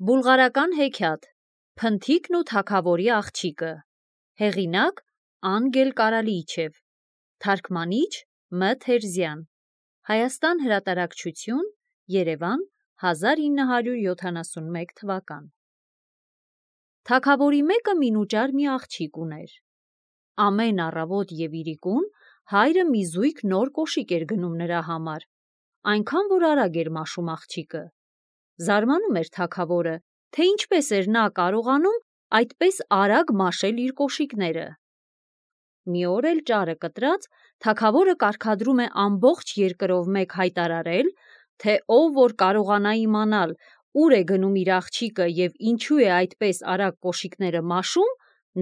Բուլղարական հեքիաթ Փնթիկն ու թագավորի աղջիկը հեղինակ Անգել Կարալիչև թարգմանիչ Մ. Թերզյան Հայաստան հրատարակչություն Երևան 1971 թվական Թագավորի մեկը մինուճար մի աղջիկ ուներ։ Ամեն առավոտ և իրիկուն հայրը մի զույգ նոր կոշիկ էր գնում նրա համար, այնքան որ արագ էր մաշում աղջիկը։ Զարմանում էր թագավորը, թե ինչպես էր նա կարողանում այդպես արագ մաշել իր կոշիկները։ Մի օր էլ ճարը կտրած, թագավորը կարգադրում է ամբողջ երկրով մեկ հայտարարել, թե ով որ կարողանա իմանալ ուր է գնում իր աղջիկը և ինչու է այդպես արագ կոշիկները մաշում,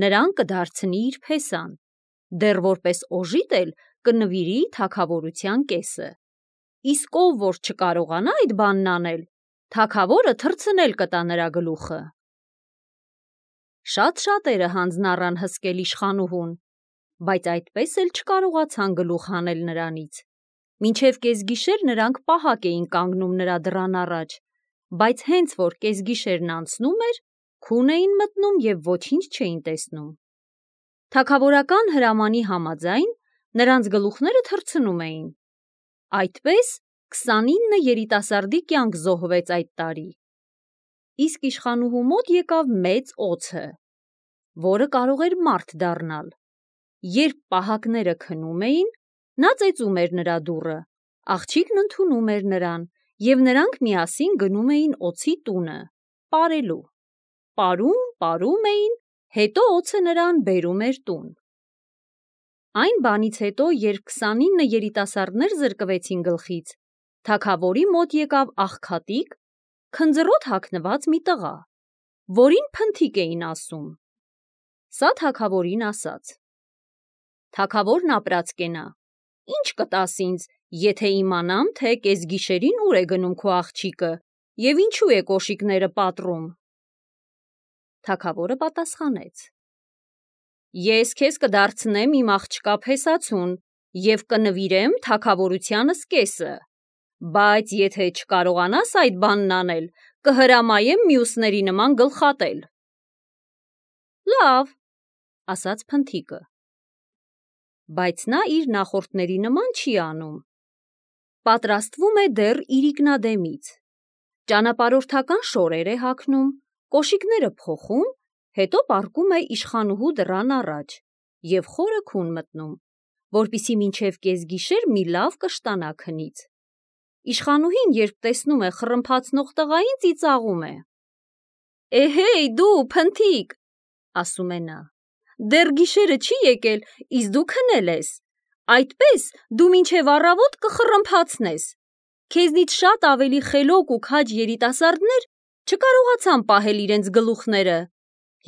նրան կդարձնի իր փեսան, դեռ որպես օժիտ էլ կնվիրի թագավորության կեսը։ Իսկ ով որ չկարողանա այդ բանն անել, թագավորը թռցնել կտա նրա գլուխը։ Շատ շատերը հանձն առան հսկել իշխանուհուն, բայց այդպես էլ չկարողացան գլուխ հանել նրանից։ Մինչև կեսգիշեր նրանք պահակ էին կանգնում նրա դռան առաջ, բայց հենց որ կեսգիշերն անցնում էր, քուն էին մտնում և ոչինչ չէին տեսնում։ Թագավորական հրամանի համաձայն նրանց գլուխները թռցնում էին։ Այդպես 29 երիտասարդի կյանք զոհվեց այդ տարի։ Իսկ իշխանուհու մոտ եկավ մեծ օձը, որը կարող էր մարդ դառնալ։ Երբ պահակները քնում էին, նա ծեծում էր նրա դուռը, աղջիկն ընդունում էր նրան, և նրանք միասին գնում էին օձի տունը, պարելու։ Պարում էին, հետո օձը նրան բերում էր տուն։ Այն բանից հետո, երբ 29 երիտասարդներ զրկվեցին գլխից, թագավորի մոտ եկավ աղքատիկ, քնձռոտ հագնված մի տղա, որին Փնթիկ էին ասում։ Սա թագավորին ասաց. Թագավորն ապրած կենա, ինչ կտաս ինձ, եթե իմանամ, թե կեսգիշերին ուր է գնում քո աղջիկը և ինչու է կոշիկները պատռում։ Թագավորը պատասխանեց. Ես քեզ կդարձնեմ իմ աղջկա փեսացուն և կնվիրեմ թագավորությանս կեսը, բայց եթե չկարողանաս այդ բանն անել, կհրամայեմ մյուսների նման գլխատել։ Լավ, ասաց Փնթիկը, բայց նա իր նախորդների նման չի անում։ Պատրաստվում է դեռ իրիկնադեմից, ճանապարհորդական շորեր է հագնում, կոշիկները փոխում, հետո պառկում է իշխանուհու դռան առաջ և խորը քուն մտնում, որպեսզի մինչև կեսգիշեր մի լավ կշտանա քնից։ Իշխանուհին, երբ տեսնում է խռմփացնող տղային, ծիծաղում է. Էհեյ դու Փնթիկ, ասում է նա, դեռ գիշերը չի եկել, իսկ դու քնել ես, այդպես դու մինչև առավոտ կխռմփացնես։ Քեզնից շատ ավելի խելոք ու քաջ երիտասարդներ չկարողացան պահել իրենց գլուխները,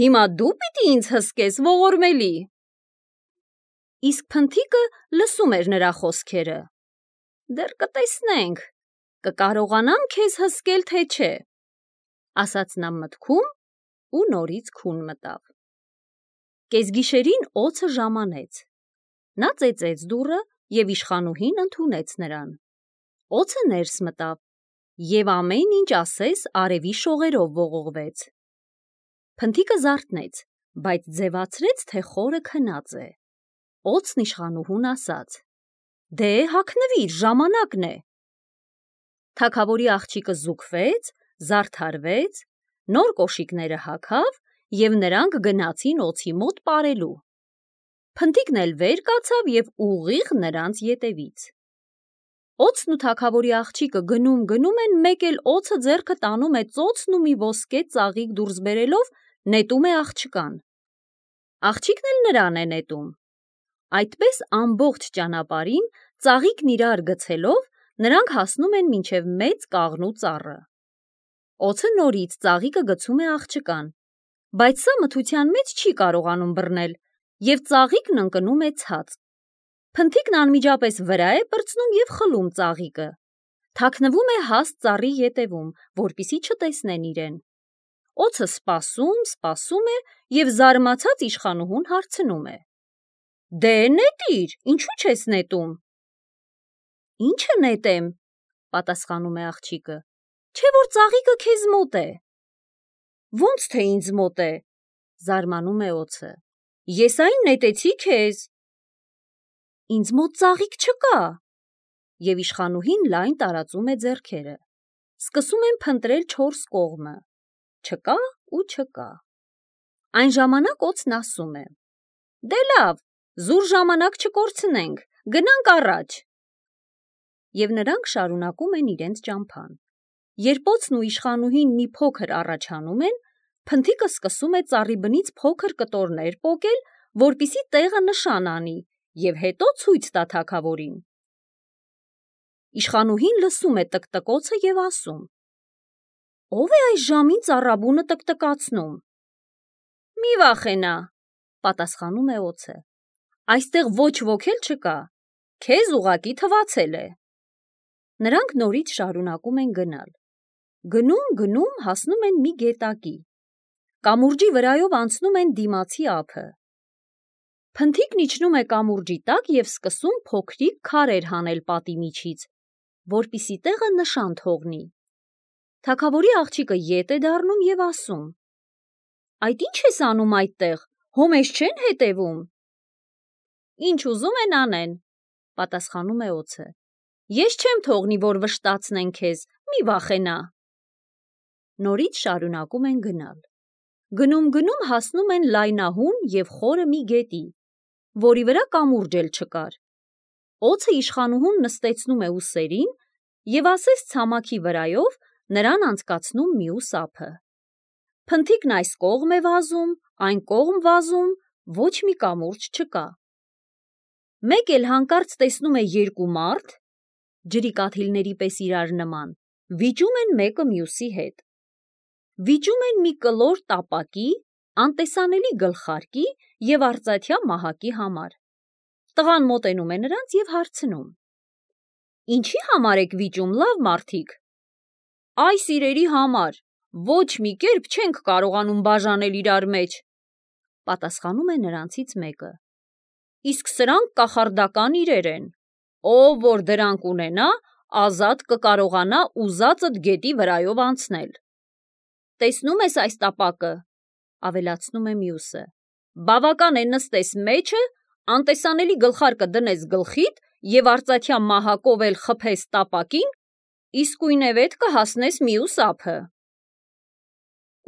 հիմա դու պիտի ինձ հսկես ողորմելի։ Իսկ Փնթիկը լսում էր նրա խոսքերը. Դեռ կտեսնենք, կկարողանամ քեզ հսկել, թե չէ, ասաց նա մտքում ու նորից քուն մտավ։ Կեսգիշերին օձը ժամանեց։ Նա ծեծեց դուռը և իշխանուհին ընդունեց նրան։ Օձը ներս մտավ և ամեն ինչ ասես արևի շողերով ողողվեց։ Փնթիկը զարթնեց, բայց ձևացրեց, թե խորը քնած է։ Օձն իշխանուհուն ասաց. Դե հագնվիր, ժամանակն է։ Թագավորի աղջիկը զուգվեց, զարդարվեց, նոր կոշիկները հագավ և նրանք գնացին օձի մոտ պարելու։ Փնթիկն էլ վեր կացավ և ուղիղ նրանց ետևից։ Օձն ու թագավորի աղջիկը գնում են, մեկ էլ օձը ձեռքը տանում է ծոցն ու մի ոսկե ծաղիկ դուրս բերելով նետում է աղջկան։ Աղջիկն էլ նրան է նետում։ Այդպես ամբողջ ճանապարհին ծաղիկն իրար գցելով նրանք հասնում են մինչև մեծ կաղնու ծառը։ Օձը նորից ծաղիկը գցում է աղջկան, բայց սա մթության մեջ չի կարողանում բռնել և ծաղիկն ընկնում է ցած։ Փնթիկն անմիջապես վրա է պրծնում և խլում ծաղիկը։ Թաքնվում է հաստ ծառի ետևում, որպեսզի չտեսնեն իրեն։ Օձը սպասում է և զարմացած իշխանուհուն հարցնում է. Դե նետիր, ինչու չես նետում։ Ի՞նչը նետեմ, պատասխանում է աղջիկը, չէ՞ որ ծաղիկը քեզ մոտ է։ Ոնց թե ինձ մոտ է, զարմանում է օձը։ Ես այն նետեցի քեզ։ Ինձ մոտ ծաղիկ չկա։ Եվ իշխանուհին լայն տարածում է ձեռքերը։ Սկսում են փնտրել 4 կողմը։ Չկա ու չկա։ Այն ժամանակ օձն ասում է. Դե լավ, զուր ժամանակ չկորցնենք, գնանք առաջ։ Եվ նրանք շարունակում են իրենց ճամփան։ Երբ օձն ու իշխանուհին մի փոքր առաջանում են, փնթիկը սկսում է ծառի բնից փոքր կտորներ պոկել, որպիսի տեղը նշան անի և հետո ցույց տա թագավորին։ Իշխանուհին լսում է տկտկոցը և ասում. Ո՞վ է այս ժամին ծառաբունը տկտկացնում։ Մի վախենա, պատասխանում է օձը։ Այստեղ ոչ ոք էլ չկա, քեզ ուղղակի թվացել է։ Նրանք նորից շարունակում են գնալ։ Գնում հասնում են մի գետակի։ Կամուրջի վրայով անցնում են դիմացի ափը։ Փնթիկն իջնում է կամուրջի տակ և սկսում փոքրիկ քարեր հանել պատի միջից, որպիսի տեղը նշան թողնի։ Թագավորի աղջիկը ետ է դառնում և ասում. Այդ ի՞նչ ես անում այդտեղ, հո մեզ չեն հետևում։ Ինչ ուզում են անեն, պատասխանում է օձը։ Ես չեմ թողնի, որ վշտացնեն քեզ, մի վախենա։ Նորից շարունակում են գնալ։ Գնում հասնում են լայնահուն և խորը մի գետի, որի վրա կամուրջ էլ չկար։ Օձը իշխանուհուն նստեցնում է ուսերին և ասես ցամաքի վրայով նրան անցկացնում մյուս ափը։ Փնթիկն այս կողմ է վազում, այն կողմ վազում, ոչ մի կամուրջ չկա։ Մեկ էլ հանկարծ տեսնում է 2 մարդ, ջրի կաթիլների պես իրար նման, վիճում են մեկը մյուսի հետ։ Վիճում են մի կլոր տապակի, անտեսանելի գլխարկի և արծաթյա մահակի համար։ Տղան մոտենում է նրանց և հարցնում. Ինչի համար եք վիճում, լավ մարդիկ։ Այս իրերի համար, ոչ մի կերպ չենք կարողանում բաժանել իրար մեջ, պատասխանում է նրանցից մեկը։ Իսկ սրանք կախարդական իրեր են, ով որ դրանք ունենա, ազատ կկարողանա ուզածդ գետի վրայով անցնել։ Տեսնում ես այս տապակը, ավելացնում է մյուսը, բավական է նստես մեջը, անտեսանելի գլխարկը դնես գլխիդ և արծաթյա մահակով էլ խփես տապակին, իսկույնևեթ կհասնես մյուս ափը։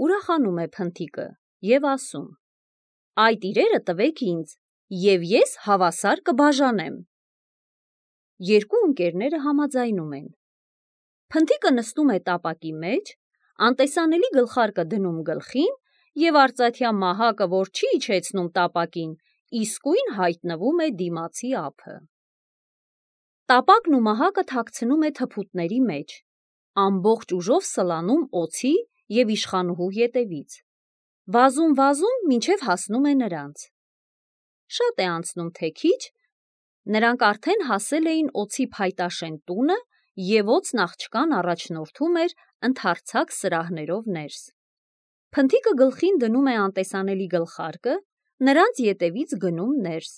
Ուրախանում է փնթիկը և ասում. Այդ իրերը տվեք ինձ, և ես հավասար կբաժանեմ։ 2 ընկերները համաձայնում են։ Փնթիկը նստում է տապակի մեջ, անտեսանելի գլխարկը դնում գլխին և արծաթյա մահակը, որ չի իջեցնում տապակին, իսկույն հայտնվում է դիմացի ափը։ Տապակն ու մահակը թաքցնում է թփուտների մեջ, ամբողջ ուժով սլանում օձի և իշխանուհու ետևից։ Վազում, մինչև հասնում է նրանց։ Շատ է անցնում թե քիչ, նրանք արդեն հասել էին օձի փայտաշեն տունը և օձն աղջկան առաջնորդում էր ընդարձակ սրահներով ներս։ Փնթիկը գլխին դնում է անտեսանելի գլխարկը, նրանց ետևից գնում ներս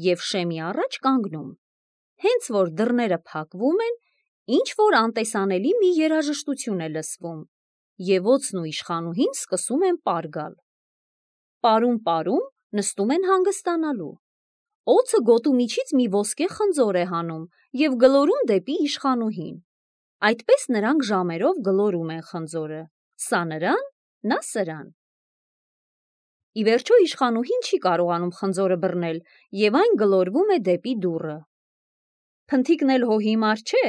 և շեմի առաջ կանգնում։ Հենց որ դռները փակվում են, ինչ-որ անտեսանելի մի երաժշտություն է լսվում, և օձն ու իշխանուհին սկսում են պար գալ։ Պարում, նստում են հանգստանալու։ Օձը գոտու միջից մի ոսկե խնձոր է հանում և գլորում դեպի իշխանուհին։ Այդպես նրանք ժամերով գլորում են խնձորը, սա նրան, նա սրան։ Ի վերջո իշխանուհին չի կարողանում խնձորը բռնել և այն գլորվում է դեպի դուռը։ Փնթիկն էլ հո հիմար չէ,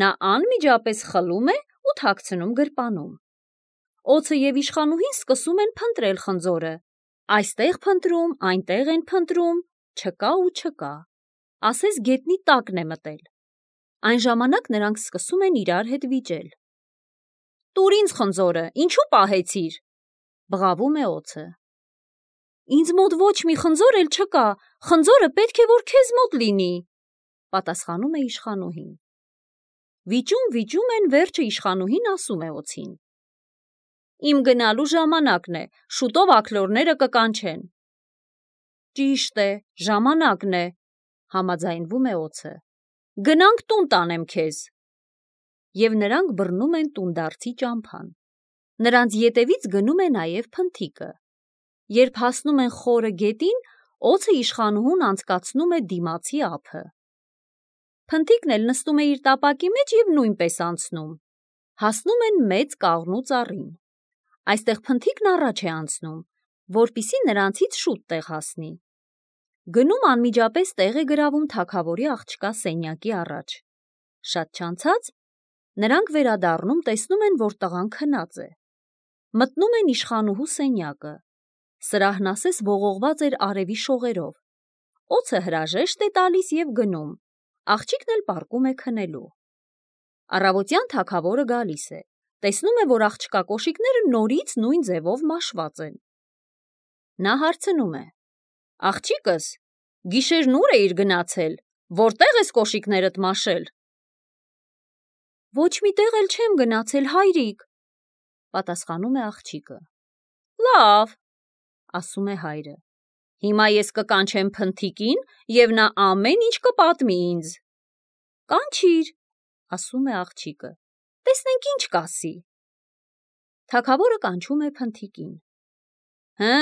նա անմիջապես խլում է ու թաքցնում գրպանում։ Օձը և իշխանուհին սկսում են փնտրել խնձորը, այստեղ փնտրում, այնտեղ են փնտրում, չկա ու չկա, ասես գետնի տակն է մտել։ Այն ժամանակ նրանք սկսում են իրար հետ վիճել։ Տուր ինձ խնձորը, ինչու պահեցիր, բղավում է օձը։ Ինձ մոտ ոչ մի խնձոր էլ չկա, խնձորը պետք է որ քեզ մոտ լինի, պատասխանում է իշխանուհին։ Վիճում են, վերջը իշխանուհին ասում է օձին. Իմ գնալու ժամանակն է, շուտով աքլորները կկանչեն։ Ճիշտ է, ժամանակն է, համաձայնվում է օձը։ Գնանք տուն տանեմ քեզ։ Եվ նրանք բռնում են տունդարձի ճամփան։ Նրանց ետևից գնում է նաև փնթիկը։ Երբ հասնում են խորը գետին, օձը իշխանուհուն անցկացնում է դիմացի ափը։ Փնթիկն էլ նստում է իր տապակի մեջ և նույնպես անցնում։ Հասնում են մեծ կաղնու ծառին։ Այստեղ փնթիկն առաջ է անցնում, որպեսզի նրանցից շուտ տեղ հասնի։ Գնում անմիջապես տեղ է գրավում թագավորի աղջկա սենյակի առաջ։ Շատ չանցած նրանք վերադառնում տեսնում են, որ տղան քնած է։ Մտնում են իշխանուհու սենյակը։ Սրահն ասես ողողված էր արևի շողերով։ Օձը հրաժեշտ է տալիս և գնում։ Աղջիկն էլ պառկում է քնելու։ Առավոտյան թագավորը գալիս է։ Տեսնում է, որ աղջկա կոշիկները նորից նույն ձևով մաշված են։ Նա հարցնում է. «Աղջիկս, գիշերն ուր էիր գնացել, որտեղ ես կոշիկներդ մաշել»։ «Ոչ մի տեղ էլ չեմ գնացել, հայրիկ», պատասխանում է աղջիկը։ «Լավ», ասում է հայրը, «հիմա ես կկանչեմ փնթիկին և նա ամեն ինչ կպատմի ինձ»։ «Կանչիր», ասում է աղջիկը, տեսնենք ինչ կասի։ Թագավորը կանչում է փնթիկին։ «Հը,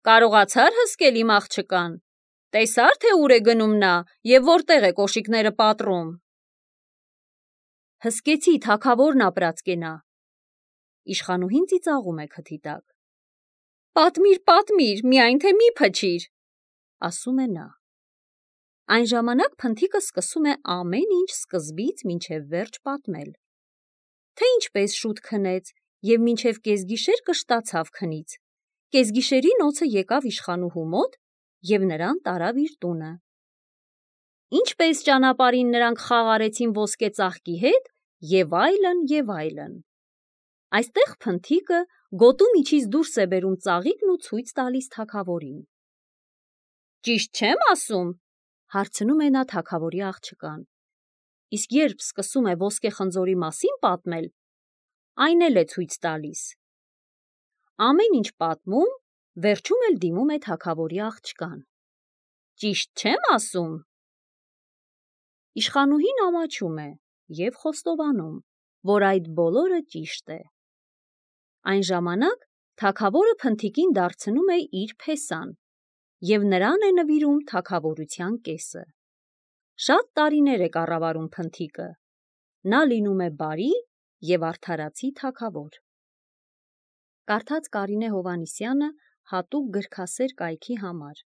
կարողացա՞ր հսկել իմ աղջկան, տեսա՞ր, թե ուր է գնում նա և որտեղ է կոշիկները պատռում»։ «Հսկեցի, թագավորն ապրած կենա»։ Իշխանուհին ծիծաղում է քթի տակ։ «Պատմիր, պատմիր, միայն թե մի փչիր», ասում է նա։ Այն ժամանակ փնթիկը սկսում է ամեն ինչ սկզբից մինչև վերջ պատմել, թե ինչպես շուտ քնեց և մինչև կեսգիշեր կշտացավ քնից։ Կեսգիշերին օձը եկավ իշխանուհու մոտ և նրան տարավ իր տունը։ Ինչպես ճանապարհին նրանք խաղ արեցին ոսկե ծաղկի հետ և այլն և այլն։ Այստեղ փնթիկը գոտու միջից դուրս է բերում ծաղիկն ու ցույց տալիս թագավորին։ «Ճիշտ չեմ ասում», հարցնում է նա թագավորի աղջկան։ Իսկ երբ սկսում է ոսկե խնձորի մասին պատմել, այն էլ է ցույց տալիս։ Ամեն ինչ պատմում, վերջում էլ դիմում է թագավորի աղջկան։ «Ճիշտ չեմ ասում»։ Իշխանուհին ամաչում է և խոստովանում, որ այդ բոլորը ճիշտ է։ Այն ժամանակ թագավորը փնթիկին դարձնում է իր փեսան և նրան է նվիրում թագավորության կեսը։ Շատ տարիներ է կառավարում փնթիկը։ Նա լինում է բարի և արդարացի թագավոր։ Կարդաց Կարինե Հովհաննիսյանը հատուկ գրքասեր կայքի համար։